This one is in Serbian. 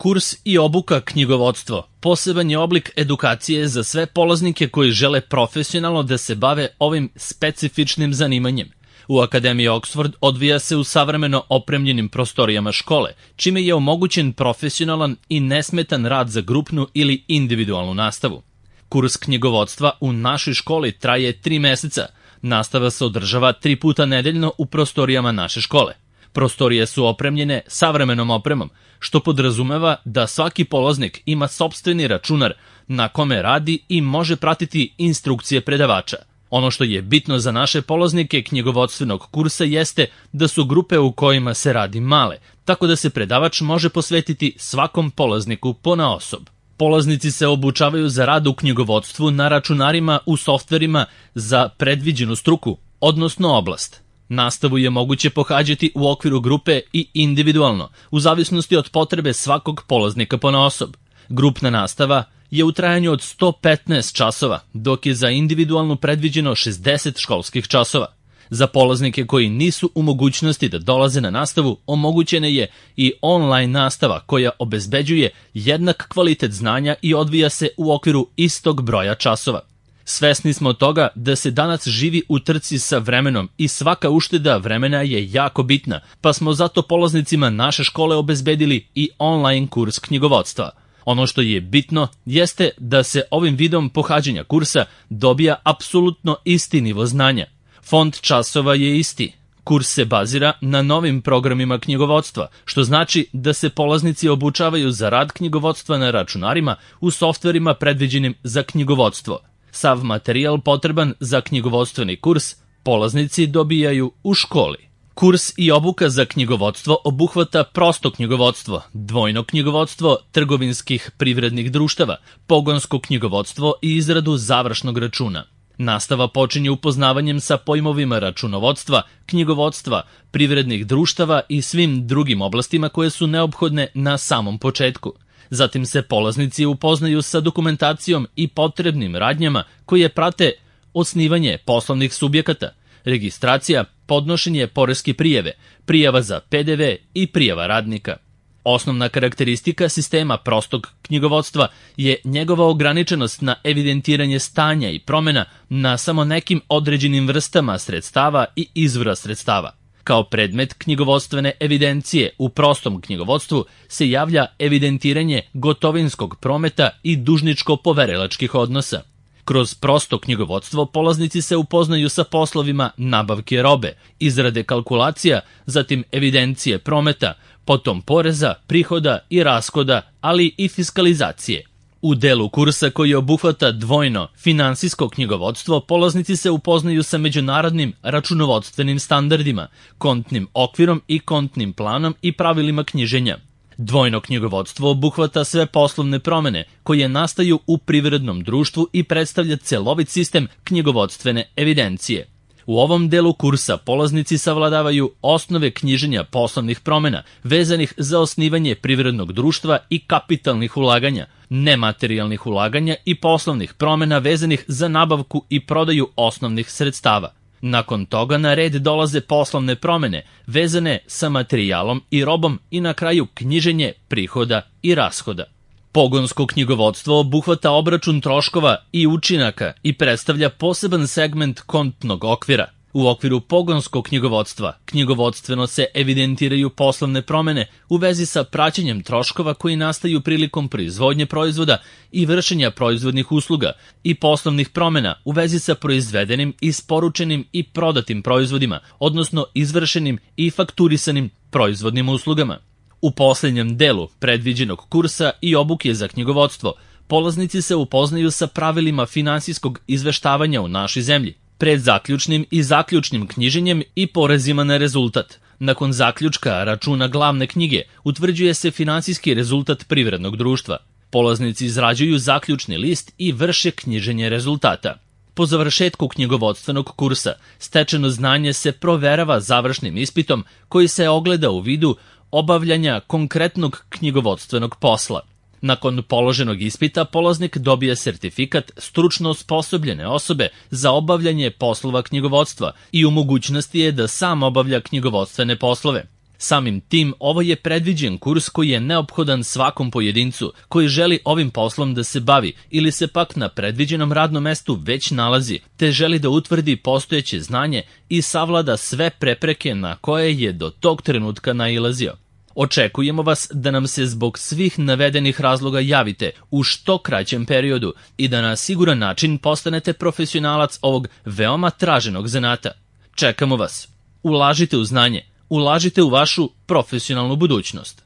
Kurs i obuka knjigovodstvo poseban je oblik edukacije za sve polaznike koji žele profesionalno da se bave ovim specifičnim zanimanjem. U Akademiji Oxford odvija se u savremeno opremljenim prostorijama škole, čime je omogućen profesionalan i nesmetan rad za grupnu ili individualnu nastavu. Kurs knjigovodstva u našoj školi traje 3 meseca. Nastava se održava 3 puta nedeljno u prostorijama naše škole. Prostorije su opremljene savremenom opremom, što podrazumeva da svaki polaznik ima sopstveni računar na kome radi i može pratiti instrukcije predavača. Ono što je bitno za naše polaznike knjigovodstvenog kursa jeste da su grupe u kojima se radi male, tako da se predavač može posvetiti svakom polazniku ponaosob. Polaznici se obučavaju za rad u knjigovodstvu na računarima u softverima za predviđenu struku, odnosno oblast. Nastavu je moguće pohađati u okviru grupe i individualno, u zavisnosti od potrebe svakog polaznika ponaosob. Grupna nastava je u trajanju od 115 časova, dok je za individualnu predviđeno 60 školskih časova. Za polaznike koji nisu u mogućnosti da dolaze na nastavu, omogućena je i online nastava koja obezbeđuje jednak kvalitet znanja i odvija se u okviru istog broja časova. Svesni smo toga da se danas živi u trci sa vremenom i svaka ušteda vremena je jako bitna, pa smo zato polaznicima naše škole obezbedili i online kurs knjigovodstva. Ono što je bitno jeste da se ovim vidom pohađanja kursa dobija apsolutno isti nivo znanja. Fond časova je isti. Kurs se bazira na novim programima knjigovodstva, što znači da se polaznici obučavaju za rad knjigovodstva na računarima u softverima predviđenim za knjigovodstvo. Sav materijal potreban za knjigovodstveni kurs polaznici dobijaju u školi. Kurs i obuka za knjigovodstvo obuhvata prosto knjigovodstvo, dvojno knjigovodstvo trgovinskih privrednih društava, pogonsko knjigovodstvo i izradu završnog računa. Nastava počinje upoznavanjem sa pojmovima računovodstva, knjigovodstva, privrednih društava i svim drugim oblastima koje su neophodne na samom početku. Zatim se polaznici upoznaju sa dokumentacijom i potrebnim radnjama koje prate osnivanje poslovnih subjekata, registracija, podnošenje poreske prijave, prijava za PDV i prijava radnika. Osnovna karakteristika sistema prostog knjigovodstva je njegova ograničenost na evidentiranje stanja i promena na samo nekim određenim vrstama sredstava i izvora sredstava. Kao predmet knjigovodstvene evidencije u prostom knjigovodstvu se javlja evidentiranje gotovinskog prometa i dužničko-poverilačkih odnosa. Kroz prosto knjigovodstvo polaznici se upoznaju sa poslovima nabavke robe, izrade kalkulacija, zatim evidencije prometa, potom poreza, prihoda i rashoda, ali i fiskalizacije. U delu kursa koji obuhvata dvojno finansijsko knjigovodstvo, polaznici se upoznaju sa međunarodnim računovodstvenim standardima, kontnim okvirom i kontnim planom i pravilima knjiženja. Dvojno knjigovodstvo obuhvata sve poslovne promene koje nastaju u privrednom društvu i predstavlja celovit sistem knjigovodstvene evidencije. U ovom delu kursa polaznici savladavaju osnove knjiženja poslovnih promena vezanih za osnivanje privrednog društva i kapitalnih ulaganja, nematerijalnih ulaganja i poslovnih promena vezanih za nabavku i prodaju osnovnih sredstava. Nakon toga na red dolaze poslovne promene vezane sa materijalom i robom i na kraju knjiženje prihoda i rashoda. Pogonsko knjigovodstvo obuhvata obračun troškova i učinaka i predstavlja poseban segment kontnog okvira. U okviru pogonskog knjigovodstva knjigovodstveno se evidentiraju poslovne promene u vezi sa praćenjem troškova koji nastaju prilikom proizvodnje proizvoda i vršenja proizvodnih usluga i poslovnih promena u vezi sa proizvedenim, isporučenim i prodatim proizvodima, odnosno izvršenim i fakturisanim proizvodnim uslugama. U posljednjem delu predviđenog kursa i obuke za knjigovodstvo, polaznici se upoznaju sa pravilima finansijskog izveštavanja u našoj zemlji, pred zaključnim i zaključnim knjiženjem i porezima na rezultat. Nakon zaključka računa glavne knjige utvrđuje se finansijski rezultat privrednog društva. Polaznici izrađuju zaključni list i vrše knjiženje rezultata. Po završetku knjigovodstvenog kursa, stečeno znanje se proverava završnim ispitom koji se ogleda u vidu obavljanja konkretnog knjigovodstvenog posla. Nakon položenog ispita, polaznik dobije sertifikat stručno osposobljene osobe za obavljanje poslova knjigovodstva i u mogućnosti je da sam obavlja knjigovodstvene poslove. Samim tim, ovo je predviđen kurs koji je neophodan svakom pojedincu koji želi ovim poslom da se bavi ili se pak na predviđenom radnom mestu već nalazi, te želi da utvrdi postojeće znanje i savlada sve prepreke na koje je do tog trenutka nailazio. Očekujemo vas da nam se zbog svih navedenih razloga javite u što kraćem periodu i da na siguran način postanete profesionalac ovog veoma traženog zanata. Čekamo vas. Ulažite u znanje, ulažite u vašu profesionalnu budućnost.